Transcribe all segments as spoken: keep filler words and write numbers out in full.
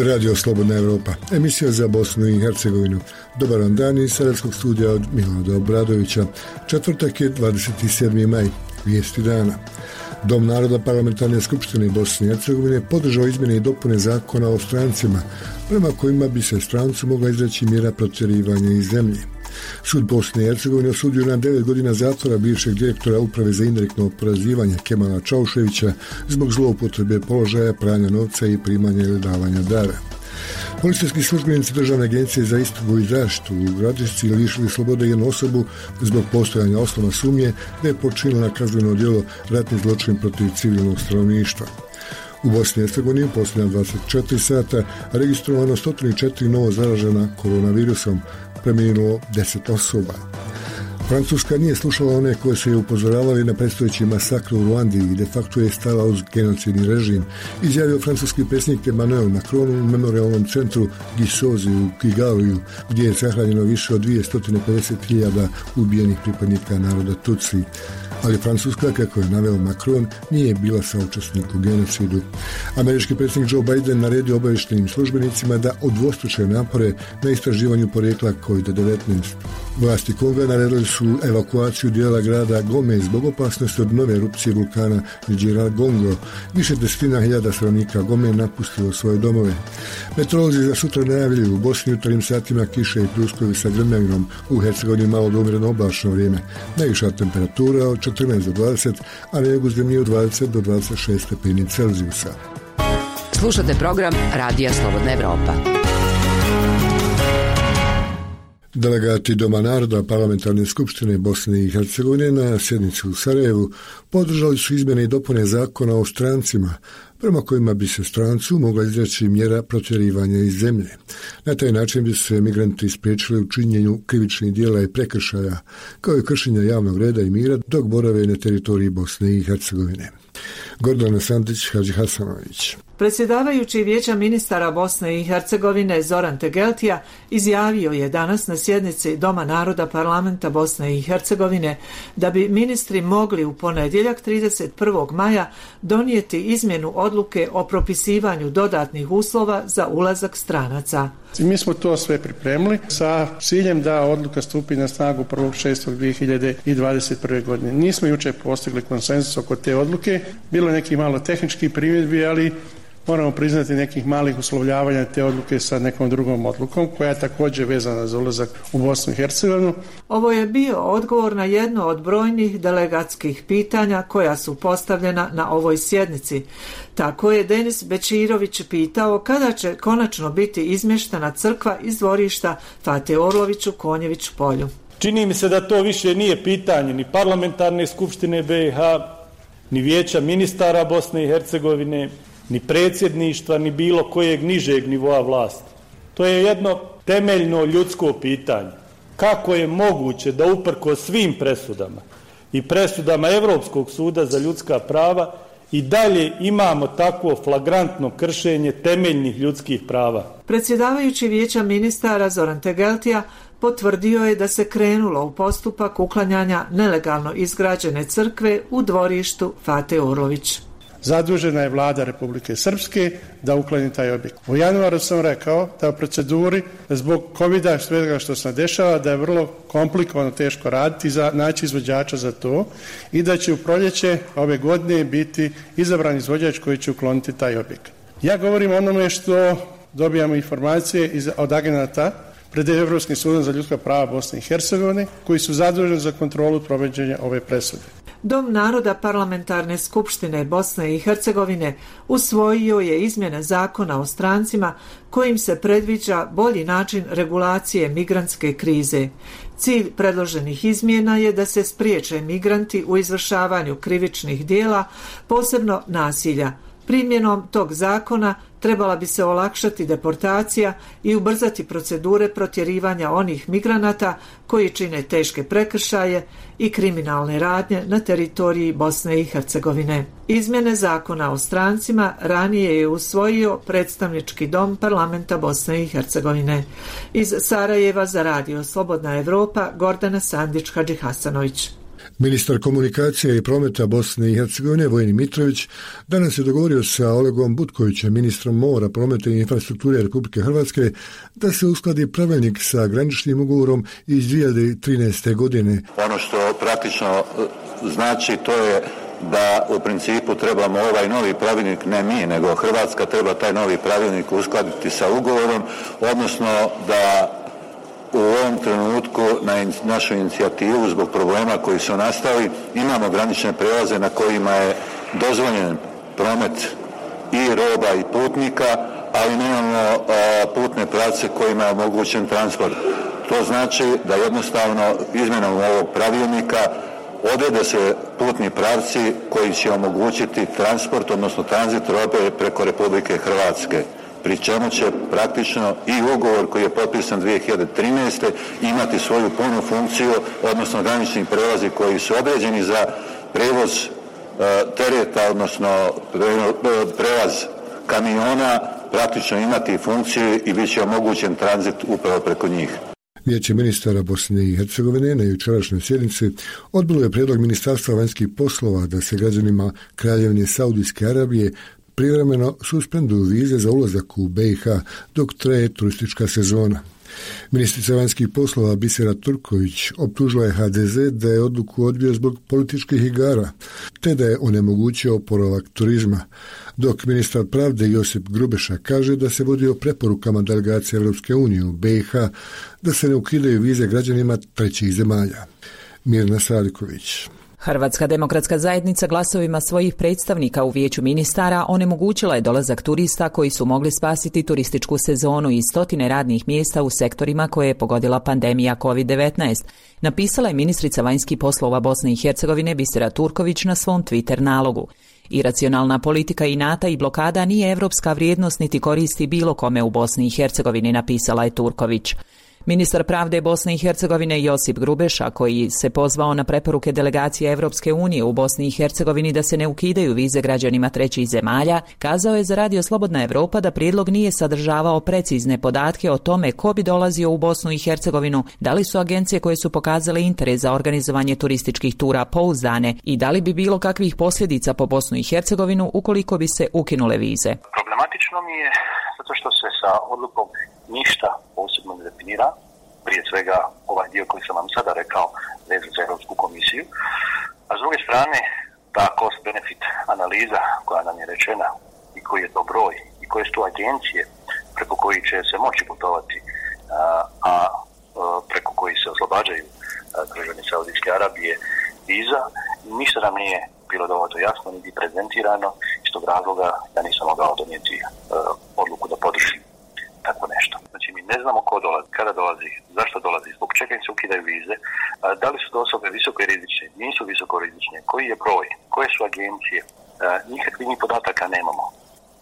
Ovo je Radio Slobodna Evropa, emisija za Bosnu i Hercegovinu. Dobar vam dan iz Sarajevskog studija od Milorada Obradovića. Četvrtak je dvadeset sedmi maj, vijesti dana. Dom naroda Parlamentarne skupštine Bosne i Hercegovine podržao izmjene i dopune zakona o strancima, prema kojima bi se strancu mogla izreći mjera protjerivanja iz zemlje. Sud Bosne i Hercegovine osudio na devet godina zatvora bivšeg direktora Uprave za indirektno oporezivanje Kemala Čauševića zbog zloupotrebe položaja, pranja novca i primanja ili davanja dara. Policijski službenici Državne agencije za istragu i zaštitu u Gradišci lišili slobode jednu osobu zbog postojanja osnova sumnje da je počinila kazneno djelo ratni zločin protiv civilnog stanovništva. U Bosni i Hercegovini u posljednja dvadeset četiri sata registrovano sto četiri novo zaražena koronavirusom, preminulo deset osoba. Francuska nije slušala one koje se je upozoravali na predstojeći masakr u Ruandi i de facto je stala uz genocidni režim, izjavio francuski predsjednik Emmanuel Macron u memorialnom centru Gisozi u Kigaliju, gdje je sahranjeno više od dvjesto pedeset hiljada ubijenih pripadnika naroda Tutsi. Ali Francuska, kako je naveo Macron, nije bila saučesnik u genocidu. Američki predsjednik Joe Biden naredio obavještajnim službenicima da udvostruče napore na istraživanju porijekla kovid devetnaest. Vlasti Konga naredili su evakuaciju dijela grada Gome zbog opasnosti od nove erupcije vulkana Gongo. Više desetina hiljada stanovnika Gome napustilo svoje domove. Meteorolozi za sutra najavljaju u Bosni u jutarnjim satima kiše i pljuskovi sa grmljavinom, u Hercegovini malo do umjereno oblačno vrijeme. Najviša temperatura od četrnaest do dvadeset, a na jugu zemlje od dvadeset do dvadeset šest stepeni Celzijusa. Slušate program Radija Slobodna Evropa. Delegati Doma naroda Parlamentarne skupštine Bosne i Hercegovine na sjednici u Sarajevu podržali su izmjene i dopune zakona o strancima, prema kojima bi se strancu mogla izreći mjera protjerivanja iz zemlje. Na taj način bi se migranti spriječili u činjenju krivičnih djela i prekršaja, kao i kršenja javnog reda i mira dok borave na teritoriji Bosne i Hercegovine. Gordana Sandić, Hadži Hasanović. Predsjedavajući Vijeća ministara Bosne i Hercegovine Zoran Tegeltija izjavio je danas na sjednici Doma naroda Parlamenta Bosne i Hercegovine da bi ministri mogli u ponedjeljak trideset prvog maja donijeti izmjenu odluke o propisivanju dodatnih uslova za ulazak stranaca. Mi smo to sve pripremili sa ciljem da odluka stupi na snagu prvog šestog dvije hiljade dvadeset prve. godine. Nismo jučer postigli konsenzus oko te odluke, bilo je neki malo tehnički primjedbi, ali moramo priznati nekih malih uslovljavanja te odluke sa nekom drugom odlukom koja je također vezana za ulazak u Bosnu i Hercegovinu. Ovo je bio odgovor na jedno od brojnih delegatskih pitanja koja su postavljena na ovoj sjednici. Tako je Denis Bečirović pitao kada će konačno biti izmještena crkva iz dvorišta Fate Orlović u Konjević polju. Čini mi se da to više nije pitanje ni Parlamentarne skupštine B i H, ni Vijeća ministara Bosne i Hercegovine, ni predsjedništva, ni bilo kojeg nižeg nivoa vlasti. To je jedno temeljno ljudsko pitanje. Kako je moguće da uprkos svim presudama i presudama Europskog suda za ljudska prava i dalje imamo takvo flagrantno kršenje temeljnih ljudskih prava? Predsjedavajući Vijeća ministara Zoran Tegeltija potvrdio je da se krenulo u postupak uklanjanja nelegalno izgrađene crkve u dvorištu Fate Orlović. Zadužena je vlada Republike Srpske da ukloni taj objekt. U januaru sam rekao da u proceduri zbog covida svega što se dešava da je vrlo komplikovano, teško raditi, za naći izvođača za to i da će u proljeće ove godine biti izabran izvođač koji će ukloniti taj objekt. Ja govorim o onome što dobijamo informacije iz, od agenata pred Europskim sudom za ljudska prava Bosne i Hercegovine koji su zaduženi za kontrolu provođenja ove presude. Dom naroda Parlamentarne skupštine Bosne i Hercegovine usvojio je izmjene zakona o strancima kojim se predviđa bolji način regulacije migrantske krize. Cilj predloženih izmjena je da se spriječe migranti u izvršavanju krivičnih djela, posebno nasilja. Primjenom tog zakona trebala bi se olakšati deportacija i ubrzati procedure protjerivanja onih migranata koji čine teške prekršaje i kriminalne radnje na teritoriji Bosne i Hercegovine. Izmjene zakona o strancima ranije je usvojio predstavnički dom Parlamenta Bosne i Hercegovine. Iz Sarajeva za Radio Slobodna Evropa, Gordana Sandić, Hadži Hasanović. Ministar komunikacije i prometa Bosne i Hercegovine Vojin Mitrović danas je dogovorio sa Olegom Butkovićem, ministrom mora, prometa i infrastrukture Republike Hrvatske, da se uskladi pravilnik sa graničnim ugovorom iz dvije hiljade trinaeste. godine. Ono što praktično znači to je da u principu trebamo ovaj novi pravilnik, ne mi, nego Hrvatska treba taj novi pravilnik uskladiti sa ugovorom, odnosno da u ovom trenutku na našu inicijativu zbog problema koji su nastali imamo granične prelaze na kojima je dozvoljen promet i roba i putnika, ali nemamo a, putne pravce kojima je omogućen transport. To znači da jednostavno izmjenom ovog pravilnika odrede se putni pravci koji će omogućiti transport, odnosno tranzit robe preko Republike Hrvatske, pri čemu će praktično i ugovor koji je potpisan dvije hiljade trinaeste. imati svoju punu funkciju, odnosno granični prelazi koji su određeni za prevoz e, tereta, odnosno prelaz kamiona, praktično imati funkciju i bit će omogućen tranzit upravo preko njih. Vijeće ministara Bosne i Hercegovine na jučerašnjoj sjednici odbilo je prijedlog Ministarstva vanjskih poslova da se građanima Kraljevine Saudijske Arabije privremeno suspenduju vize za ulazak u be i ha dok traje turistička sezona. Ministrica vanjskih poslova Bisera Turković optužila je ha de ze da je odluku odbio zbog političkih igara, te da je onemogućio oporavak turizma, dok ministar pravde Josip Grubeša kaže da se vodio preporukama delegacije Europske unije u be i ha da se ne ukidaju vize građanima trećih zemalja. Mirna Sadiković. Hrvatska demokratska zajednica glasovima svojih predstavnika u vijeću ministara onemogućila je dolazak turista koji su mogli spasiti turističku sezonu i stotine radnih mjesta u sektorima koje je pogodila pandemija kovid devetnaest, napisala je ministrica vanjskih poslova Bosne i Hercegovine Bisera Turković na svom Twitter nalogu. Iracionalna politika inata i blokada nije evropska vrijednost niti koristi bilo kome u Bosni i Hercegovini, napisala je Turković. Ministar pravde Bosne i Hercegovine Josip Grubeša, koji se pozvao na preporuke delegacije Evropske unije u Bosni i Hercegovini da se ne ukidaju vize građanima trećih zemalja, kazao je za Radio Slobodna Evropa da prijedlog nije sadržavao precizne podatke o tome ko bi dolazio u Bosnu i Hercegovinu, da li su agencije koje su pokazale interes za organizovanje turističkih tura pouzdane i da li bi bilo kakvih posljedica po Bosnu i Hercegovinu ukoliko bi se ukinule vize. Problematično mi je zato što se sa odlukom ništa posebno ne definira, prije svega ovaj dio koji sam vam sada rekao vezan za Europsku komisiju, a s druge strane ta cost benefit analiza koja nam je rečena i koji je to broj i koje su tu agencije preko koji će se moći putovati, a, a preko koji se oslobađaju građani Saudijske Arabije viza, ništa nam nije bilo dovoljno jasno niti prezentirano, iz tog razloga ja nisam mogao donijeti a, odluku da podržim tako nešto. Znači mi ne znamo ko dolazi, kada dolazi, zašto dolazi, zbog čega im se ukidaju vize, da li su to osobe visoko rizične, nisu visoko rizične, koji je broj, koje su agencije, nikakvih ni podataka nemamo.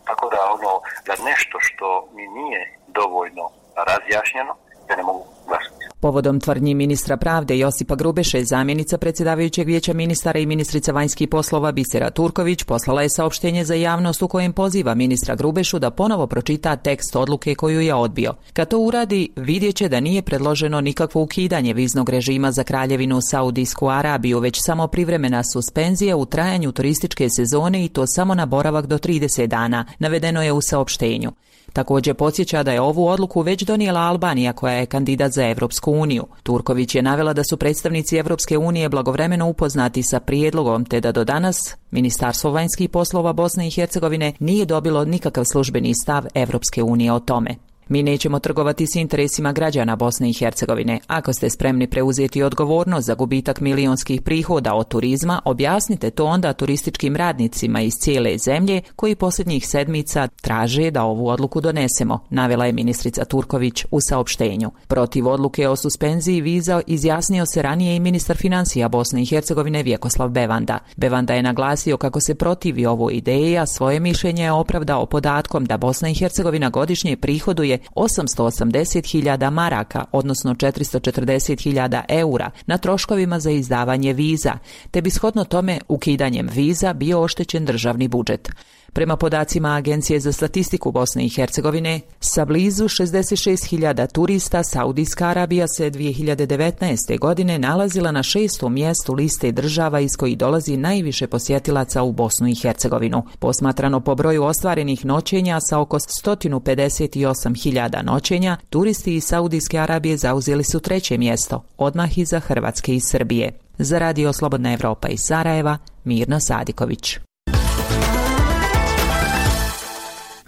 Tako da ono, da nešto što mi nije dovoljno razjašnjeno, ja ne mogu glasati. Povodom tvrdnji ministra pravde Josipa Grubeše, zamjenica predsjedavajućeg vijeća ministara i ministrica vanjskih poslova Bisera Turković poslala je saopštenje za javnost u kojem poziva ministra Grubešu da ponovo pročita tekst odluke koju je odbio. Kad to uradi, vidjet će da nije predloženo nikakvo ukidanje viznog režima za Kraljevinu Saudijsku Arabiju, već samo privremena suspenzija u trajanju turističke sezone i to samo na boravak do trideset dana, navedeno je u saopštenju. Također podsjeća da je ovu odluku već donijela Albanija koja je kandidat za Evropsku uniju. Turković je navela da su predstavnici Evropske unije blagovremeno upoznati sa prijedlogom te da do danas Ministarstvo vanjskih poslova Bosne i Hercegovine nije dobilo nikakav službeni stav Evropske unije o tome. Mi nećemo trgovati s interesima građana Bosne i Hercegovine. Ako ste spremni preuzeti odgovornost za gubitak milionskih prihoda od turizma, objasnite to onda turističkim radnicima iz cijele zemlje koji posljednjih sedmica traže da ovu odluku donesemo, navela je ministrica Turković u saopštenju. Protiv odluke o suspenziji viza izjasnio se ranije i ministar financija Bosne i Hercegovine Vjekoslav Bevanda. Bevanda je naglasio kako se protivi ovoj ideji, a svoje mišljenje je opravdao podatkom da Bosna i Hercegovina godišnje prihoduje osamsto osamdeset hiljada maraka, odnosno četiristo četrdeset hiljada eura, na troškovima za izdavanje viza, te bi shodno tome ukidanjem viza bio oštećen državni budžet. Prema podacima Agencije za statistiku Bosne i Hercegovine, sa blizu šezdeset šest hiljada turista Saudijska Arabija se dvije hiljade devetnaeste. godine nalazila na šestom mjestu liste država iz kojih dolazi najviše posjetilaca u Bosnu i Hercegovinu. Posmatrano po broju ostvarenih noćenja sa oko sto pedeset osam hiljada noćenja, turisti iz Saudijske Arabije zauzeli su treće mjesto, odmah iza Hrvatske i Srbije. Za Radio Slobodna Evropa iz Sarajeva, Mirna Sadiković.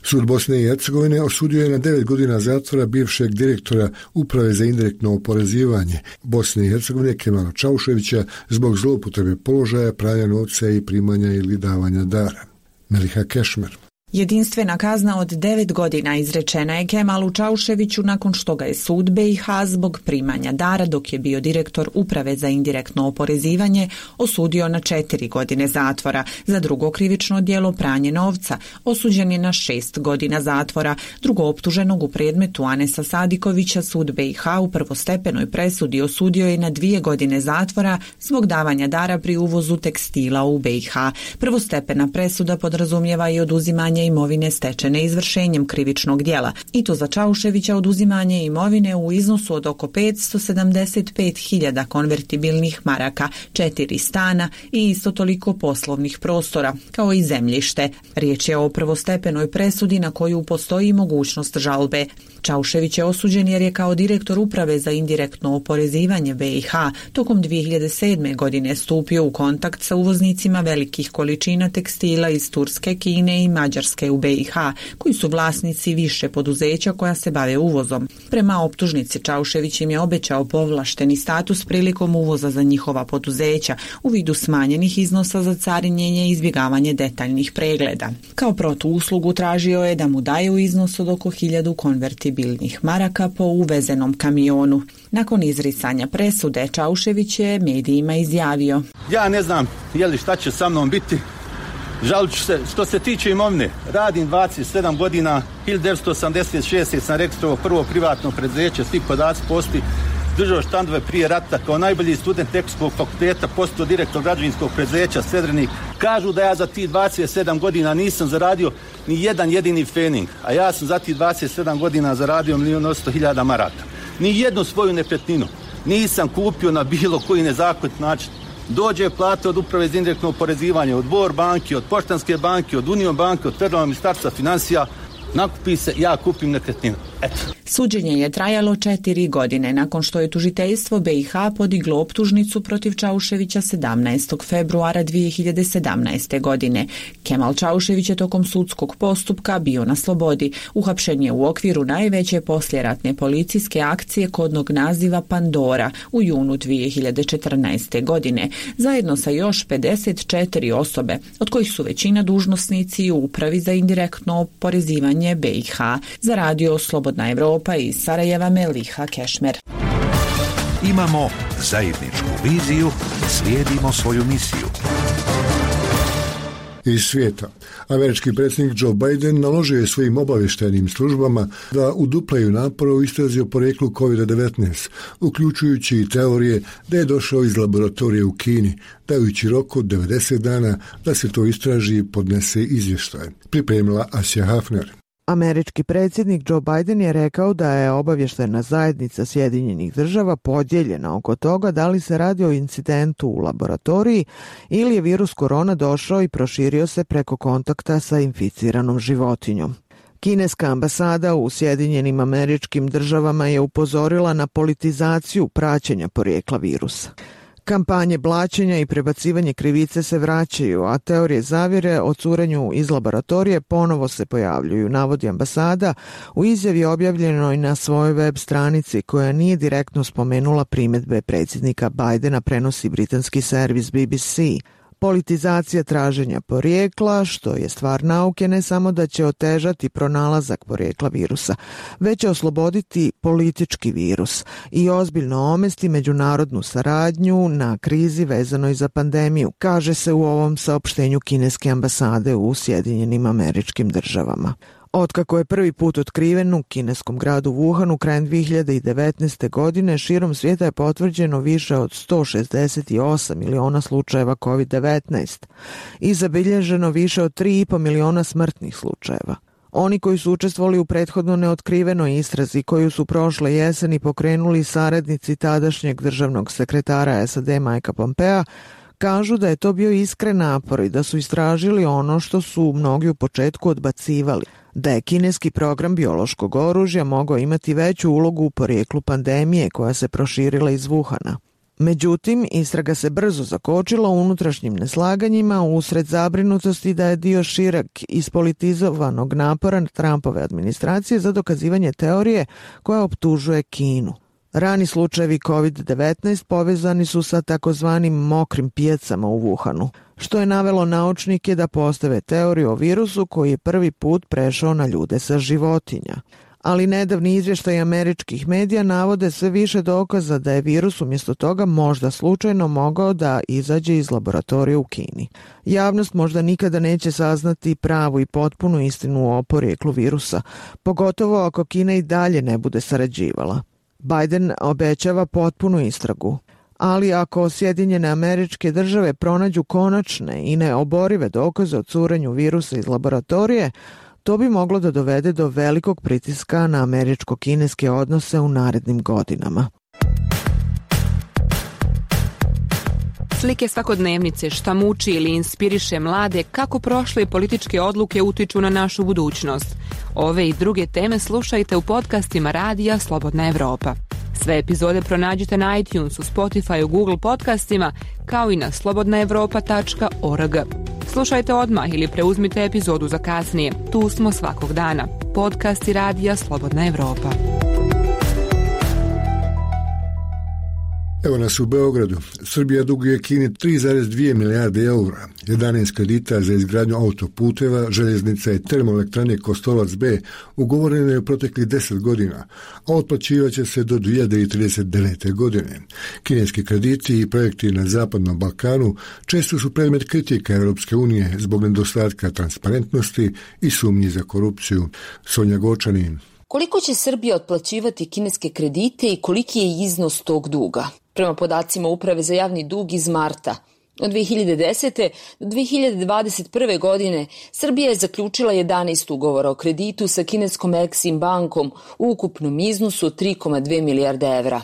Sud Bosne i Hercegovine osudio je na devet godina zatvora bivšeg direktora Uprave za indirektno oporezivanje Bosne i Hercegovine Kemala Čauševića zbog zloupotrebe položaja, pranja novca i primanja ili davanja dara. Meliha Kešmer. Jedinstvena kazna od devet godina izrečena je Kemalu Čauševiću nakon što ga je sud B i H zbog primanja dara dok je bio direktor Uprave za indirektno oporezivanje osudio na četiri godine zatvora. Za drugo krivično djelo pranje novca osuđen je na šest godina zatvora. Drugo optuženog u predmetu Anesa Sadikovića sud B i H u prvostepenoj presudi osudio je na dvije godine zatvora zbog davanja dara pri uvozu tekstila u B i H. Prvostepena presuda podrazumijeva i oduzimanje imovine stečene izvršenjem krivičnog djela, i to za Čauševića oduzimanje imovine u iznosu od oko petsto sedamdeset pet hiljada konvertibilnih maraka, četiri stana i isto toliko poslovnih prostora, kao i zemljište. Riječ je o prvostepenoj presudi na koju postoji mogućnost žalbe. Čaušević je osuđen jer je kao direktor Uprave za indirektno oporezivanje B i H tokom dvije hiljade sedme. godine stupio u kontakt sa uvoznicima velikih količina tekstila iz Turske, Kine i Mađarske u B i H, koji su vlasnici više poduzeća koja se bave uvozom. Prema optužnici Čaušević im je obećao povlašteni status prilikom uvoza za njihova poduzeća u vidu smanjenih iznosa za carinjenje i izbjegavanje detaljnih pregleda. Kao protuuslugu tražio je da mu daju iznos od oko hiljadu konvertibilnih maraka po uvezenom kamionu. Nakon izricanja presude Čaušević je medijima izjavio: Ja ne znam je li šta će sa mnom biti. Žalit ću se, što se tiče imovine, radim dvadeset sedam godina, hiljadu devetsto osamdeset šeste. sam registrovao prvo privatno preduzeće, svi podaci postoji, držao štandove prije rata, kao najbolji student Ekonomskog fakulteta, postao direktor građevinskog preduzeća Sedrenik. Kažu da ja za tih dvadeset sedam godina nisam zaradio ni jedan jedini fening, a ja sam za tih dvadeset sedam godina zaradio milijun osamsto hiljada maraka. Ni jednu svoju nekretninu nisam kupio na bilo koji nezakonit način. Dođe plate od Uprave za indirektno oporezivanje, od Bor banke, od Poštanske banke, od Union banke, od Federalnog ministarstva financija, nakupi se, ja kupim nekretninu. Eto. Suđenje je trajalo četiri godine nakon što je tužiteljstvo B i H podiglo optužnicu protiv Čauševića sedamnaestog februara dvije hiljade sedamnaeste. godine. Kemal Čaušević je tokom sudskog postupka bio na slobodi. Uhapšen je u okviru najveće poslijeratne policijske akcije kodnog naziva Pandora u junu dvije hiljade četrnaeste. godine, zajedno sa još pedeset četiri osobe, od kojih su većina dužnosnici u Upravi za indirektno oporezivanje B i H. Za Radio Slobodna Evropa iz Sarajeva, Meliha Kešmer. Imamo zajedničku viziju, slijedimo svoju misiju. Iz svijeta. Američki predsjednik Joe Biden naložio je svojim obavještajnim službama da uduplaju napore u istrazi o porijeklu kovid devetnaest, uključujući i teorije da je došao iz laboratorije u Kini, dajući rok od devedeset dana da se to istraži i podnese izvještaj. Pripremila Asja Hafner. Američki predsjednik Joe Biden je rekao da je obavještajna zajednica Sjedinjenih država podijeljena oko toga da li se radi o incidentu u laboratoriji ili je virus korona došao i proširio se preko kontakta sa inficiranom životinjom. Kineska ambasada u Sjedinjenim Američkim Državama je upozorila na politizaciju praćenja porijekla virusa. Kampanje blaćenja i prebacivanje krivice se vraćaju, a teorije zavjere o curenju iz laboratorije ponovo se pojavljuju, navodi ambasada u izjavi objavljenoj na svojoj web stranici koja nije direktno spomenula primjedbe predsjednika Bidena, prenosi britanski servis B B C. Politizacija traženja porijekla, što je stvar nauke, ne samo da će otežati pronalazak porijekla virusa, već će osloboditi politički virus i ozbiljno omesti međunarodnu saradnju na krizi vezanoj za pandemiju, kaže se u ovom saopštenju kineske ambasade u Sjedinjenim Američkim Državama. Otkako je prvi put otkriven u kineskom gradu Wuhanu krajem dvije hiljade devetnaeste. godine, širom svijeta je potvrđeno više od sto šezdeset osam miliona slučajeva kovid devetnaest i zabilježeno više od tri i po miliona smrtnih slučajeva. Oni koji su učestvovali u prethodno neotkrivenoj istrazi koju su prošle jeseni pokrenuli saradnici tadašnjeg državnog sekretara S A D Mikea Pompea, kažu da je to bio iskren napor i da su istražili ono što su mnogi u početku odbacivali, da je kineski program biološkog oružja mogao imati veću ulogu u porijeklu pandemije koja se proširila iz Wuhana. Međutim, istraga se brzo zakočila unutrašnjim neslaganjima usred zabrinutosti da je dio šireg ispolitizovanog napora Trumpove administracije za dokazivanje teorije koja optužuje Kinu. Rani slučajevi kovid devetnaest povezani su sa takozvanim mokrim pijacama u Wuhanu, što je navelo naučnike da postave teoriju o virusu koji je prvi put prešao na ljude sa životinja. Ali nedavni izvještaj američkih medija navode sve više dokaza da je virus umjesto toga možda slučajno mogao da izađe iz laboratorija u Kini. Javnost možda nikada neće saznati pravu i potpunu istinu o porijeklu virusa, pogotovo ako Kina i dalje ne bude sarađivala. Biden obećava potpunu istragu, ali ako Sjedinjene Američke Države pronađu konačne i neoborive dokaze o curenju virusa iz laboratorije, to bi moglo da dovede do velikog pritiska na američko-kineske odnose u narednim godinama. Slike svakodnevnice, šta muči ili inspiriše mlade, kako prošle političke odluke utiču na našu budućnost. Ove i druge teme slušajte u podcastima Radija Slobodna Evropa. Sve epizode pronađite na iTunesu, Spotifyu, Google podcastima, kao i na slobodna evropa tačka org. Slušajte odmah ili preuzmite epizodu za kasnije. Tu smo svakog dana. Podcasti Radija Slobodna Evropa. Evo nas u Beogradu. Srbija duguje Kini tri zarez dvije milijarde eura, jedanaest kredita za izgradnju autoputeva, željeznica i termoelektrane Kostolac B ugovoreno je u proteklih deset godina, a otplaćivaće se do dvije hiljade trideset devete. godine. Kineski krediti i projekti na Zapadnom Balkanu često su predmet kritika Europske unije zbog nedostatka transparentnosti i sumnji za korupciju. Sonja Gočanin. Koliko će Srbija otplaćivati kineske kredite i koliki je iznos tog duga? Prema podacima Uprave za javni dug iz marta, od dvije hiljade desete. do dvije hiljade dvadeset prve. godine Srbija je zaključila jedanaest ugovora o kreditu sa kineskom Exim bankom u ukupnom iznosu od tri zarez dve milijarde evra.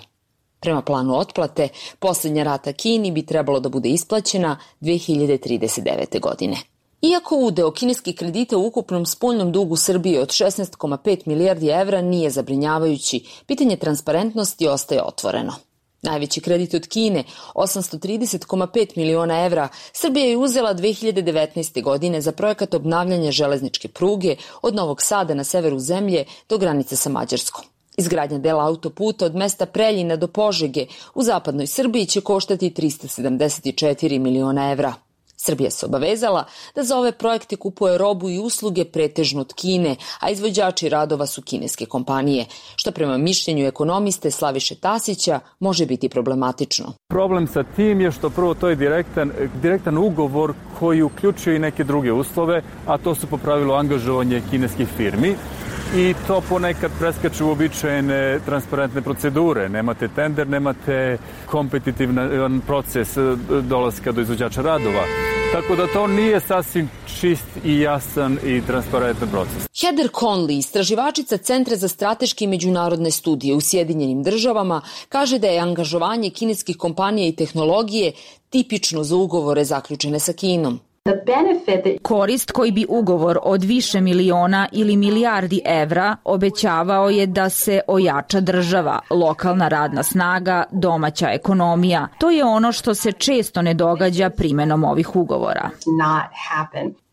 Prema planu otplate, posljednja rata Kini bi trebalo da bude isplaćena dvije hiljade trideset devete. godine. Iako udeo kineskih kredita u ukupnom spoljnom dugu Srbije od šesnaest zarez pet milijardi evra nije zabrinjavajući, pitanje transparentnosti ostaje otvoreno. Najveći kredit od Kine, osamsto trideset zarez pet miliona evra, Srbija je uzela dvije hiljade devetnaeste. godine za projekat obnavljanja železničke pruge od Novog Sada na severu zemlje do granice sa Mađarskom. Izgradnja dela autoputa od mesta Preljina do Požege u zapadnoj Srbiji će koštati trista sedamdeset četiri miliona evra. Srbija se obavezala da za ove projekte kupuje robu i usluge pretežno od Kine, a izvođači radova su kineske kompanije, što prema mišljenju ekonomiste Slaviše Tasića može biti problematično. Problem sa tim je što prvo to je direktan, direktan ugovor koji uključuje i neke druge uslove, a to su po pravilu angažovanje kineskih firmi. I to ponekad preskače uobičajene transparentne procedure. Nemate tender, nemate kompetitivan proces dolaska do izvođača radova. Tako da to nije sasvim čist i jasan i transparentan proces. Heather Conley, istraživačica Centra za strateške i međunarodne studije u Sjedinjenim državama, kaže da je angažovanje kineskih kompanija i tehnologije tipično za ugovore zaključene sa Kinom. Korist koji bi ugovor od više miliona ili milijardi evra obećavao je da se ojača država, lokalna radna snaga, domaća ekonomija. To je ono što se često ne događa primenom ovih ugovora.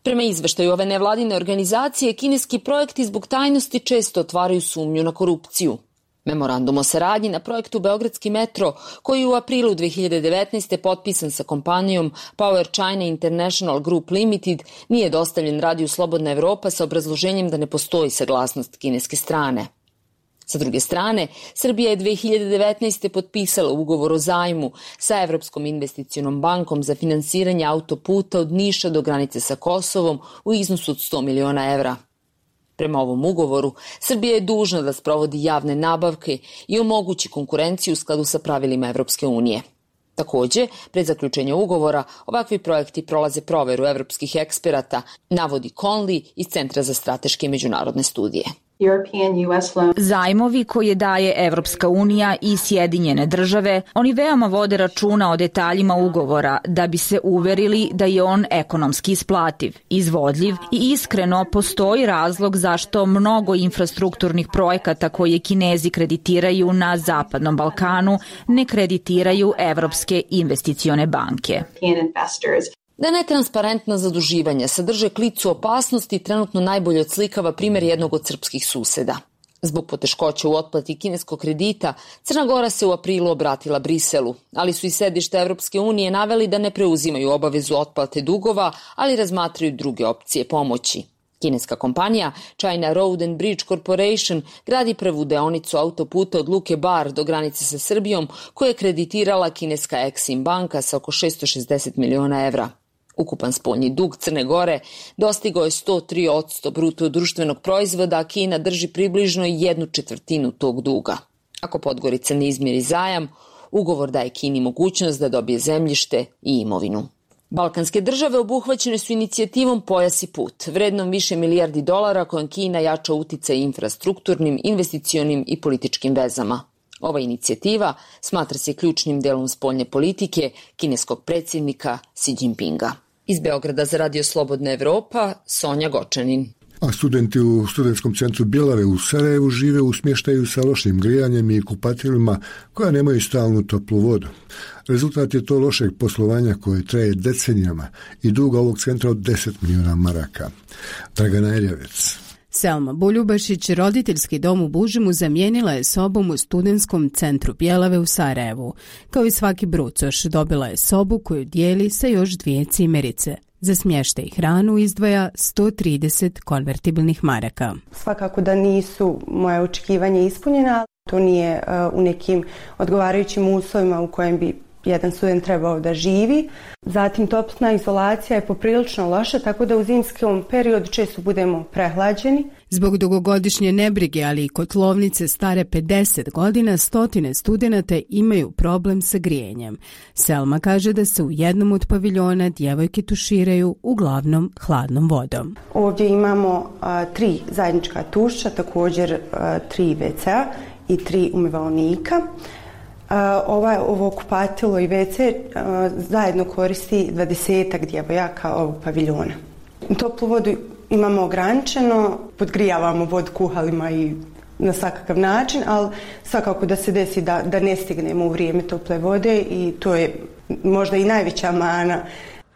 Prema izveštaju ove nevladine organizacije, kineski projekti zbog tajnosti često otvaraju sumnju na korupciju. Memorandum o saradnji na projektu Beogradski metro, koji je u aprilu dvije hiljade devetnaeste. potpisan sa kompanijom Power China International Group Limited, nije dostavljen Radiju Slobodna Evropa sa obrazloženjem da ne postoji saglasnost kineske strane. Sa druge strane, Srbija je dvije hiljade devetnaeste. potpisala ugovor o zajmu sa Evropskom investicionom bankom za finansiranje autoputa od Niša do granice sa Kosovom u iznosu od sto miliona evra. Prema ovom ugovoru, Srbija je dužna da sprovodi javne nabavke i omogući konkurenciju u skladu sa pravilima Evropske unije. Takođe, pred zaključenje ugovora, ovakvi projekti prolaze proveru evropskih eksperata, navodi Conley iz Centra za strateške i međunarodne studije. Zajmovi koje daje Evropska unija i Sjedinjene države, oni veoma vode računa o detaljima ugovora da bi se uverili da je on ekonomski isplativ, izvodljiv i iskreno postoji razlog zašto mnogo infrastrukturnih projekata koje Kinezi kreditiraju na Zapadnom Balkanu ne kreditiraju Evropske investicione banke. Da netransparentna zaduživanja sadrže klicu opasnosti trenutno najbolje odslikava primjer jednog od srpskih suseda. Zbog poteškoća u otplati kineskog kredita, Crna Gora se u aprilu obratila Briselu, ali su i sedište Evropske unije naveli da ne preuzimaju obavezu otplate dugova, ali razmatraju druge opcije pomoći. Kineska kompanija China Road and Bridge Corporation gradi prvu deonicu autoputa od Luke Bar do granice sa Srbijom, koja je kreditirala kineska Exim banka sa oko šesto šezdeset miliona evra. Ukupan spoljni dug Crne Gore dostigao je sto tri posto bruto društvenog proizvoda, a Kina drži približno jednu četvrtinu tog duga. Ako Podgorica ne izmiri zajam, ugovor daje Kini mogućnost da dobije zemljište i imovinu. Balkanske države obuhvaćene su inicijativom Pojas i put, vrednom više milijardi dolara kojom Kina jača uticaj infrastrukturnim, investicionim i političkim vezama. Ova inicijativa smatra se ključnim delom spoljne politike kineskog predsjednika Xi Jinpinga. Iz Beograda za Radio Slobodna Evropa, Sonja Gočanin. A studenti u studentskom centru Bjelave u Sarajevu žive u smještaju sa lošim grijanjem i kupatilima koja nemaju stalnu toplu vodu. Rezultat je to lošeg poslovanja koje traje decenijama i duga ovog centra od deset milijuna maraka. Dragana Erjavec. Selma Buljubašić, roditeljski dom u Bužimu, zamijenila je sobom u studentskom centru Bjelave u Sarajevu. Kao i svaki brucoš, dobila je sobu koju dijeli sa još dvije cimerice. Za smještaj i hranu izdvaja sto trideset konvertibilnih maraka. Svakako da nisu moje očekivanja ispunjena, to nije uh, u nekim odgovarajućim uslovima u kojem bi jedan student trebao da živi. Zatim toplotna izolacija je poprilično loša, tako da u zimskom periodu često budemo prehlađeni. Zbog dugogodišnje nebrige, ali i kotlovnice stare pedeset godina, stotine studenata imaju problem sa grijenjem. Selma kaže da se u jednom od paviljona djevojke tuširaju uglavnom hladnom vodom. Ovdje imamo a, tri zajednička tuša, također a, tri ve ce i tri umivalnika. Uh, ovaj, ovo kupatilo i ve ce uh, zajedno koristi dvadesetak djevojaka ovog paviljona. Toplu vodu imamo ograničeno, podgrijavamo vodu kuhalima i na svakakav način, ali svakako da se desi da, da ne stignemo u vrijeme tople vode i to je možda i najveća mana.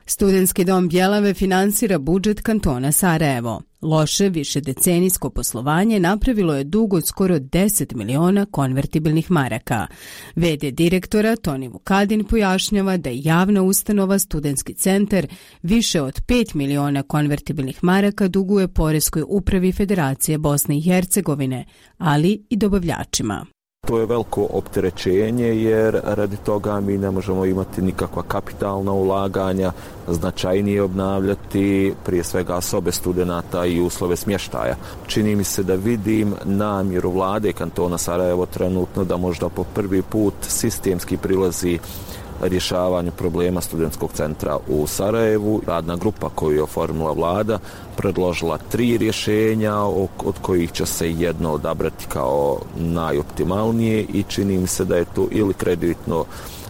Studentski dom Bjelave finansira budžet kantona Sarajevo. Loše višedecenijsko poslovanje napravilo je dug od skoro deset miliona konvertibilnih maraka. ve de direktora Toni Vukadin pojašnjava da je javna ustanova Studentski centar više od pet miliona konvertibilnih maraka duguje Poreskoj upravi Federacije Bosne i Hercegovine, ali i dobavljačima. To je veliko opterećenje jer radi toga mi ne možemo imati nikakva kapitalna ulaganja, značajnije obnavljati prije svega sobe studenata i uslove smještaja. Čini mi se da vidim namjeru vlade kantona Sarajevo trenutno da možda po prvi put sistemski prilazi rješavanju problema studentskog centra u Sarajevu. Radna grupa koju je oformila vlada predložila tri rješenja od kojih će se jedno odabrati kao najoptimalnije i čini mi se da je to ili kreditno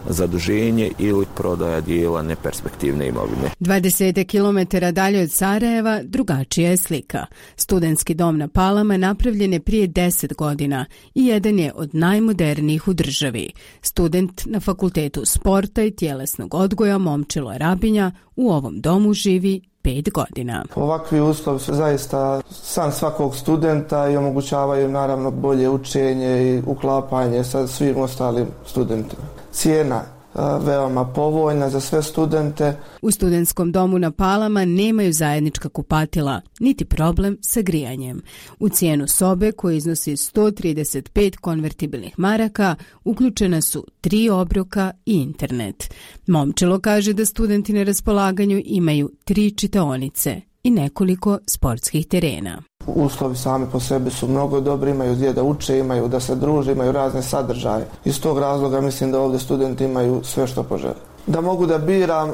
zaduženje ili prodaja dijela neperspektivne imovine. dvadeset kilometara dalje od Sarajeva drugačija je slika. Studentski dom na Palama napravljen je prije deset godina i jedan je od najmodernijih u državi. Student na Fakultetu sporta i tjelesnog odgoja Momčilo Rabinja u ovom domu živi pet godina. Ovakvi uslovi su zaista san svakog studenta i omogućavaju naravno bolje učenje i uklapanje sa svim ostalim studentima. Cijena veoma povoljna za sve studente. U studentskom domu na Palama nemaju zajednička kupatila, niti problem sa grijanjem. U cijenu sobe, koja iznosi sto trideset pet konvertibilnih maraka, uključena su tri obroka i internet. Momčilo kaže da studenti na raspolaganju imaju tri čitaonice i nekoliko sportskih terena. Uslovi sami po sebi su mnogo dobri, imaju gdje da uče, imaju da se druže, imaju razne sadržaje. Iz tog razloga mislim da ovdje studenti imaju sve što požele. Da mogu da biram e,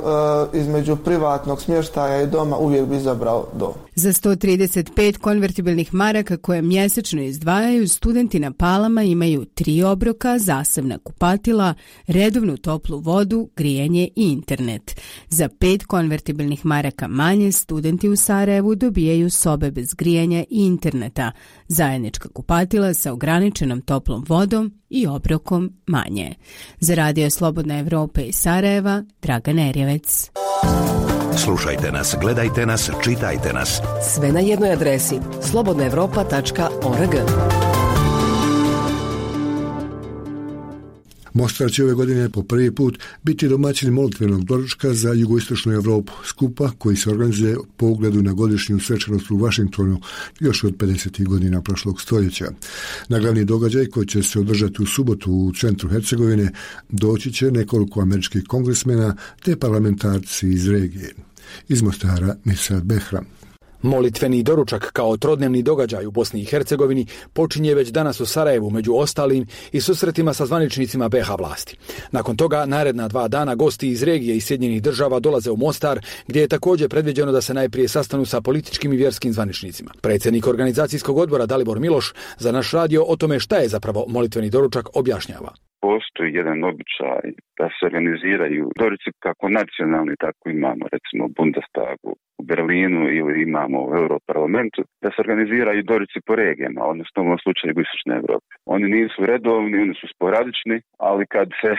između privatnog smještaja i doma, uvijek bi izabrao dom. Za sto trideset pet konvertibilnih maraka koje mjesečno izdvajaju, studenti na Palama imaju tri obroka, zasebna kupatila, redovnu toplu vodu, grijanje i internet. Za pet konvertibilnih maraka manje, studenti u Sarajevu dobijaju sobe bez grijanja i interneta, zajednička kupatila sa ograničenom toplom vodom i obrokom manje. Za Radio Slobodna Evropa i Sarajeva, Dragan Erjevec. Slušajte nas, gledajte nas, čitajte nas. Sve na jednoj adresi slobodna evropa tačka org. Mostar će ove godine po prvi put biti domaćin molitvenog doručka za jugoistočnu Europu, skupa koji se organizuje po ugledu na godišnju svečanost u Vašingtonu još od pedesetih godina prošlog stoljeća. Na glavni događaj koji će se održati u subotu u centru Hercegovine doći će nekoliko američkih kongresmena te parlamentarci iz regije. Iz Mostara Mirsad Behram. Molitveni doručak kao trodnevni događaj u Bosni i Hercegovini počinje već danas u Sarajevu među ostalim i susretima sa zvaničnicima be ha vlasti. Nakon toga naredna dva dana gosti iz regije i Sjedinjenih država dolaze u Mostar, gdje je također predviđeno da se najprije sastanu sa političkim i vjerskim zvaničnicima. Predsjednik organizacijskog odbora Dalibor Miloš za naš radio o tome šta je zapravo molitveni doručak objašnjava. Postoji jedan običaj da se organiziraju doručci kako nacionalni, tako imamo recimo u Bundestagu u Berlinu ili imamo u Europarlamentu, da se organiziraju doručci po regijama, odnosno u ovom slučaju Jugoistočne Evrope. Oni nisu redovni, oni su sporadični, ali kad se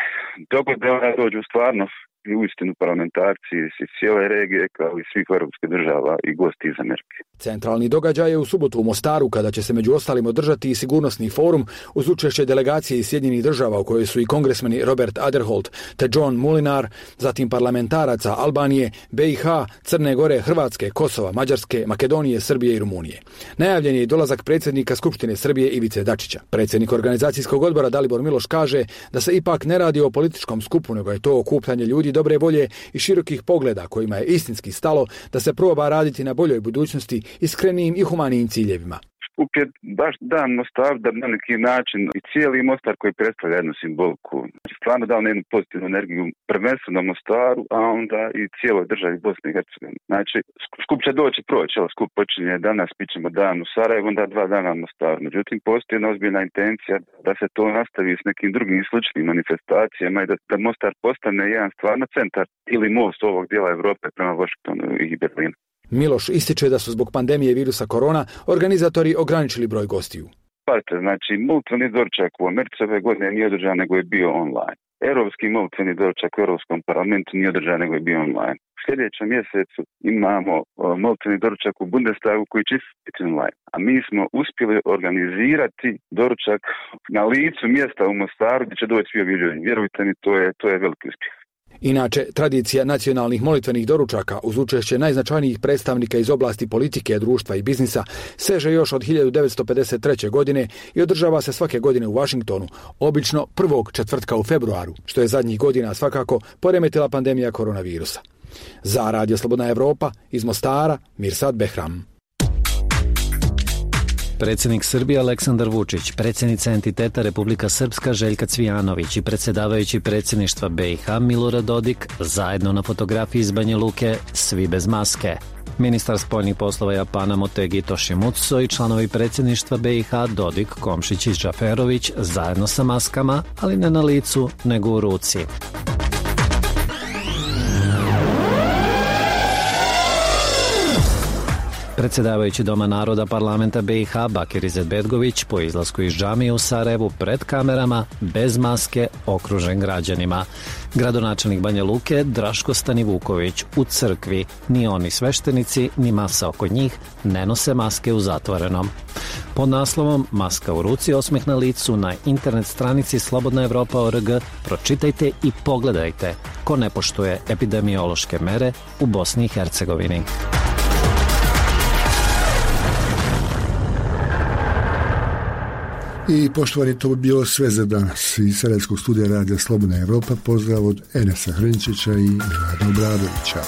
dogode, ona dođu stvarno i uistinu parlamentarci iz cijele regije kao i svih europskih država i gosti iz Amerike. Centralni događaj je u subotu u Mostaru, kada će se među ostalim održati i sigurnosni forum uz učešće delegacije iz Sjedinjenih država u kojoj su i kongresmeni Robert Aderholt te John Mulinar, zatim parlamentaraca Albanije, be i ha, Crne Gore, Hrvatske, Kosova, Mađarske, Makedonije, Srbije i Rumunije. Najavljen je i dolazak predsjednika Skupštine Srbije Ivice Dačića. Predsjednik organizacijskog odbora Dalibor Miloš kaže da se ipak ne radi o političkom skupu, nego je to okupljanje ljudi dobre volje i širokih pogleda kojima je istinski stalo da se proba raditi na boljoj budućnosti iskrenijim i humanijim ciljevima. Skup je baš dan Mostar da na neki način i cijeli Mostar koji predstavlja jednu simboliku. Stvarno dao na jednu pozitivnu energiju prvenstveno Mostaru, a onda i cijeloj državi Bosne i Hercegovine. Znači, skup će doći proći, ali skup počinje danas, pićemo dan u Sarajevu, onda dva dana u Mostaru. Međutim, postoji jedna ozbiljna intencija da se to nastavi s nekim drugim sličnim manifestacijama i da, da Mostar postane jedan stvarno centar ili most ovog dijela Evrope prema Washingtonu i Berlinu. Miloš ističe da su zbog pandemije virusa korona organizatori ograničili broj gostiju. Pazite, znači, molitveni doručak u Americi ove godine nije održan, nego je bio online. Europski molitveni doručak u Europskom parlamentu nije održan, nego je bio online. U sljedećem mjesecu imamo molitveni doručak u Bundestagu koji će biti online. A mi smo uspjeli organizirati doručak na licu mjesta u Mostaru gdje će doći svi ovi ljudi. Vjerujte mi, to je, to je veliki uspjeh. Inače, tradicija nacionalnih molitvenih doručaka uz učešće najznačajnijih predstavnika iz oblasti politike, društva i biznisa seže još od hiljadu devetsto pedeset treće. godine i održava se svake godine u Washingtonu, obično prvog četvrtka u februaru, što je zadnjih godina svakako poremetila pandemija koronavirusa. Za Radio Slobodna Evropa iz Mostara, Mirsad Behram. Predsjednik Srbije Aleksandar Vučić, predsjednica entiteta Republika Srpska Željka Cvijanović i predsjedavajući predsjedništva be i ha Milorad Dodik zajedno na fotografiji iz Banja Luke, svi bez maske. Ministar spoljnih poslova Japana Motegi Toshimitsu i članovi predsjedništva be i ha Dodik, Komšić i Džaferović zajedno sa maskama, ali ne na licu nego u ruci. Predsjedavajući Doma naroda parlamenta be i ha Bakir Izetbegović po izlasku iz džamije u Sarajevu pred kamerama, bez maske, okružen građanima. Gradonačelnik Banja Luke Draško Stanivuković u crkvi, ni oni sveštenici, ni masa oko njih ne nose maske u zatvorenom. Pod naslovom Maska u ruci, osmeh na licu na internet stranici slobodna evropa tačka org pročitajte i pogledajte ko ne poštuje epidemiološke mere u Bosni i Hercegovini. I poštovani, to bi bilo sve za danas. Iz Sarajevskog studija Radija Slobodna Evropa pozdrav od Enesa Hrnčića i Milana Obradovića.